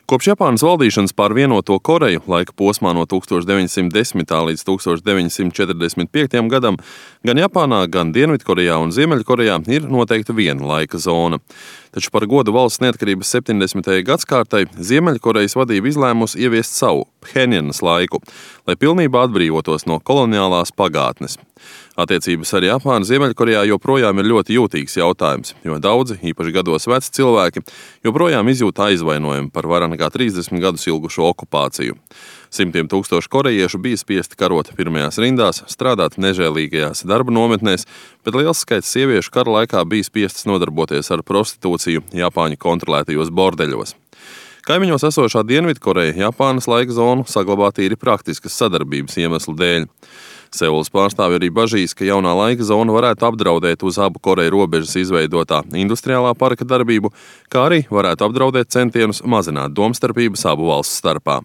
Kopš Japānas valdīšanas pār vienoto Koreju laika posmā no 1910. līdz 1945. gadam gan Japānā, gan Dienvidkorejā un Ziemeļkorejā ir noteikta viena laika zona. Taču par godu valsts neatkarības 70. gadskārtai Ziemeļkorejas vadība izlēmusi ieviest savu Phenjanas laiku, lai pilnībā atbrīvotos no koloniālās pagātnes. Attiecības ar Japānu Ziemeļkorejā joprojām ir ļoti jūtīgs jautājums, jo daudzi, īpaši gados veci cilvēki, joprojām izjūt aizvainojumu par vairāk nekā 30 gadus ilgušo okupāciju. Simtiem tūkstoši korejiešu bija spiesti karot pirmajās rindās, strādāt nežēlīgajās darba nometnēs, bet liels skaits sieviešu kara laikā bija spiestas nodarboties ar prostitūciju Japāņu kontrolētajos bordeļos. Kaimiņos esošā Dienvidkoreja Japānas laika zonu saglabā tīri praktiskas sadarbības iemeslu dēļ. Seulas pārstāvji arī bažīs, ka jaunā laika zona varētu apdraudēt uz abu Koreju robežas izveidotā industriālā parka darbību, kā arī varētu apdraudēt centienus mazināt domstarpības abu valstu starpā.